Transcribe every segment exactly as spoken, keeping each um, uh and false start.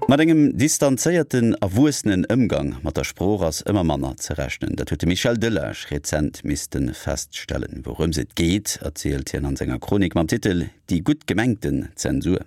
Mat engem distanzéierten, erwuessenen Ëmgang mat der Sprooch ass ëmmer manner ze rechnen. Dat huet de Michel Delage rezent misste feststellen. Wourëms et geet, erzielt hien an senger Chronik mam Titel Die gutt gemengten Zensur.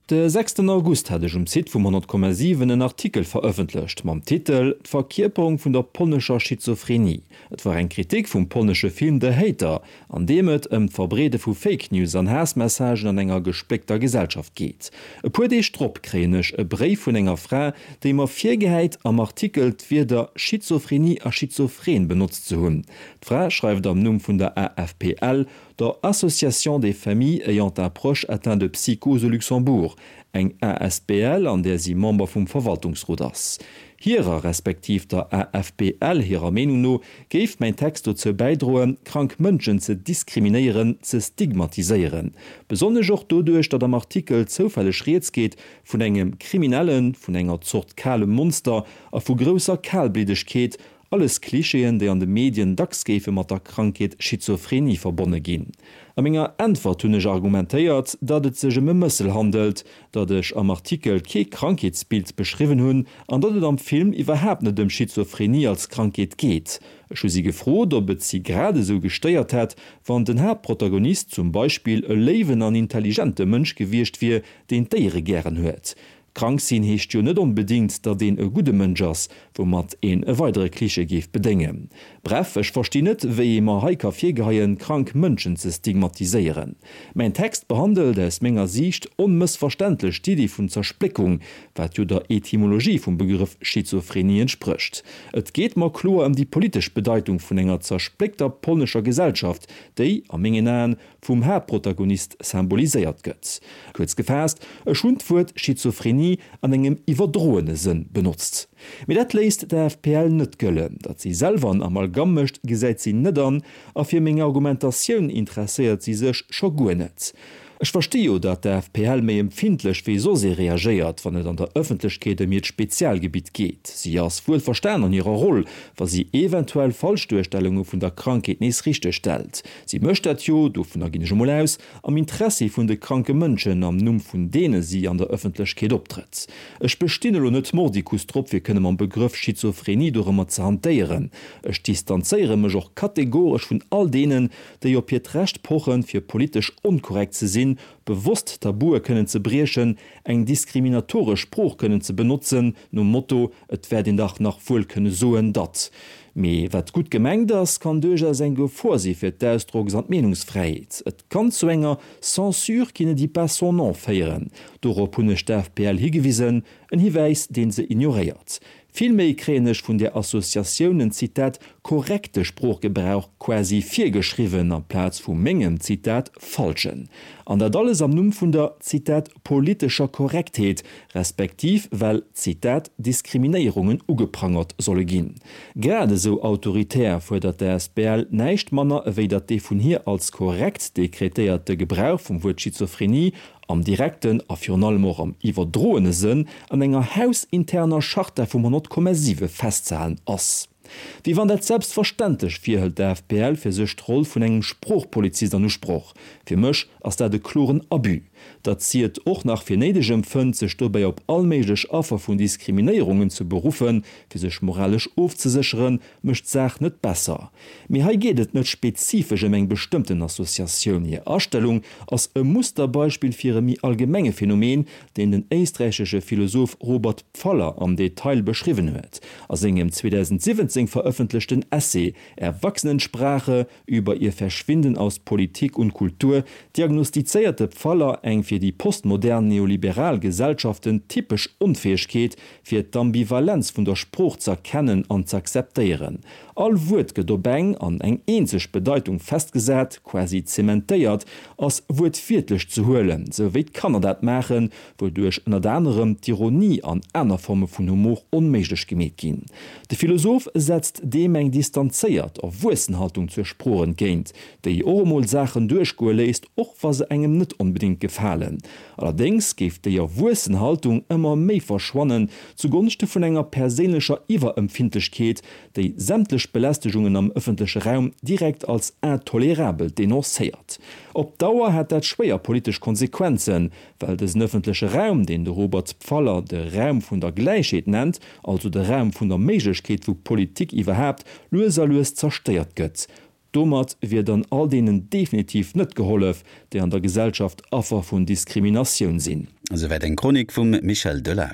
De sechsten August hat ech um Site vum honnert Komma siwen en Artikel verëffentlecht mam Titel D'Verkierperung vun der polnescher Schizophrenie. Et war eng Kritik vum polnesche Film The Hater, an deem et ëm d'Verbreede vu Fake News an Haassmessagen an enger gespléckter Gesellschaft geet. E puer Deeg drop kréien ech e Bréif vun enger Fra, déi mer virgehäit, am Artikel d'Wierder Schizophrenie a schizophren benotzt ze hunn. D'Fra schreift am Numm vun der A F P L, der Association des familles ayant un proche atteint de psychose au Luxembourg, eng A S B L, an där si Member vum Verwaltungsrot ass. Hirer respektiv der A F P L hirer Meenung no géif mäin Text dozou bäidroen, krank Mënschen ze diskriminéieren, ze stigmatiséieren. Besonnesch och doduerch, datt am Artikel zoufälleg rieds geet vun engem Kriminellen, vun enger Zort kalem Monster a vu grousser Kalbliddegkeet, alles Klischeeën, déi an de Medien dacks géife mat der Krankheet Schizophrenie verbonne ginn. A menger Äntwert hunn ech argumentéiert, datt et sech ëm e Mëssel handelt, datt ech am Artikel kee Krankheetsbild beschriwwen hunn an datt et am Film iwwerhaapt net ëm Schizophrenie als Krankheet geet. Ech hu si gefrot, ob et si grad esou gestéiert hätt, wann den Haaptprotagonist zum Beispill e léiwen an intelligente Mënsch gewiescht wier, deen Déiere gären huet. Krank sinn heescht jo net onbedéngt, datt een e gudde Mënsch ass, woumat een e weidere Klischee géif bedéngen. Bref, ech verstinn net, wéi ee mer hei ka virgeheien, krank Mënschen ze stigmatiséieren. Mäin Text behandelt aus menger Siicht onmëssverständlech d'Iddi vun Zerspléckung, wat jo der Etymologie vum Begrëff Schizophrenie entsprécht. Et geet mer kloer ëm déi politesch Bedeitung vun enger zerspléckter polnescher Gesellschaft, déi, a mengen Aen, vum Haaptprotagonist symboliséiert gëtt. Kuerz gefaasst, ech hunn d'Wuert Schizophrenie an engem iwwerdroene Sënn benotzt. Mee dat léisst d'A F P L net gëllen. Datt si selwer en Amalgam mécht, gesäit si net an, a fir meng Argumentatioun interesséiert si sech scho guer net. Ech versti jo, datt d'A F P L méi empfindlech wéi soss ee reagéiert, wann et an der Ëffentlechkeet ëm hiert Spezialgebitt geet. Si ass wuelverstan an hirer Roll, wa si eventuell Falschduerstellunge vun der Krankheet nees richtegstellt. Si mécht dat jo, dovunner ginn ech emol aus, am Interessi vun de kranke Mënschen, am Numm vun deene si an der Ëffentlechkeet optrëtt. Ech bestinn elo net mordicus drop, fir kënne mam Begrëff Schizophrenie dorëmmer ze hantéieren. Ech distanzéiere mech och kategoresch vun all deenen, déi op hiert Recht pochen, fir politesch onkorrekt ze sinn, bewosst Tabue kënnen ze briechen, eng diskriminatoresch Sprooch kënnen ze benotzen, nom Motto, et wäert een dach nach wuel kënne soen, datt. Mee wat gutt gemengt ass, kann duerchaus eng Gefor si fir d'Ausdrocks an d'Meenungsfräiheet. Et kann zu enger Censure qui ne dit pas son nom féieren. Dorop hunn ech d'A F P L higewisen, en Hiwäis, dee se ignoréiert. Villméi kréien ech vun der Associatioun en, Zitat, korrekte Sproochgebrauch quasi virgeschriwwen amplaz vu mengem, Zitat, falschen. An dat alles am Numm vun der, Zitat, politescher Korrektheet, respektiv well, Zitat, Diskriminéierungen ugeprangert solle ginn. Grad esou autoritär fuerdert d'A S B L näischt manner ewéi datt dee vun hir als korrekt dekretéierte Gebrauch vum Wuert Schizophrenie am direkten a virun allem och am iwwerdroene Sënn an enger hausinterner Charta vum honnert Komma siwe festzehalen ass. Wéi wann dat selbstverständlech wier, hëlt d'A F P L fir sech d'Roll vun engem Sproochpolizist an Usproch. Fir mech ass dat e kloren Abus. Datt si et och nach fir néideg empfënnt, sech dobäi op allméiglech Affer vun Diskriminéierungen ze beruffen, fir sech moralesch ofzesécheren, mécht d'Saach net besser. Mee hei geet et net spezifesch ëm eng bestëmmten Associatioun. Hir Astellung ass e Musterbeispill fir e méi allgemenge Phänomen, deen den éisträichesche Philosoph Robert Pfaller am Detail beschriwwen huet. A sengem zweedausendsiwwenzéng verëffentlechten Essay Erwachsenensprache über ihr Verschwinden aus Politik und Kultur diagnostizéiert de Pfaller eng fir déi postmodern neoliberal Gesellschaften typesch Onfäegkeet, fir d'Ambivalenz vun der Sprooch z'erkennen an z'akzeptéieren. All Wuert gëtt op eng an eng eenzeg Bedeitung festgesat, quasi zementéiert, ass wuertwiertlech ze huelen, sou wéi d'Kanner dat maachen, wouduerch ënnert anerem d'Ironie an aner Forme vun Humor onméiglech gemeet ginn. De Philosoph setzt deem eng distanzéiert, erwuessen Haltung zur Sprooch entgéint, déi och emol Saachen duerchgoe léisst, och wa se engem net onbedéngt gefalen. Allerdéngs géif déi erwuessen Haltung ëmmer méi verschwannen, zugonschte vun enger perséinlecher Iwwerempfindlechkeet, déi sämtlech Belästegungen am ëffentleche Raum direkt als intolerabel denoncéiert. Op Dauer hätt dat schwéier politesch Konsequenzen, well dësen ëffentleche Raum, deen de Robert Pfaller de Raum vun der Gläichheet nennt, also de Raum vun der Méiglechkeet vu Politik iwwerhaapt, lues a lues zerstéiert gëtt. Domat wier dann all deenen definitiv net gehollef, déi an der Gesellschaft Affer vun Diskriminatioun sinn. Esouwäit eng Chronik vum Michel Delage.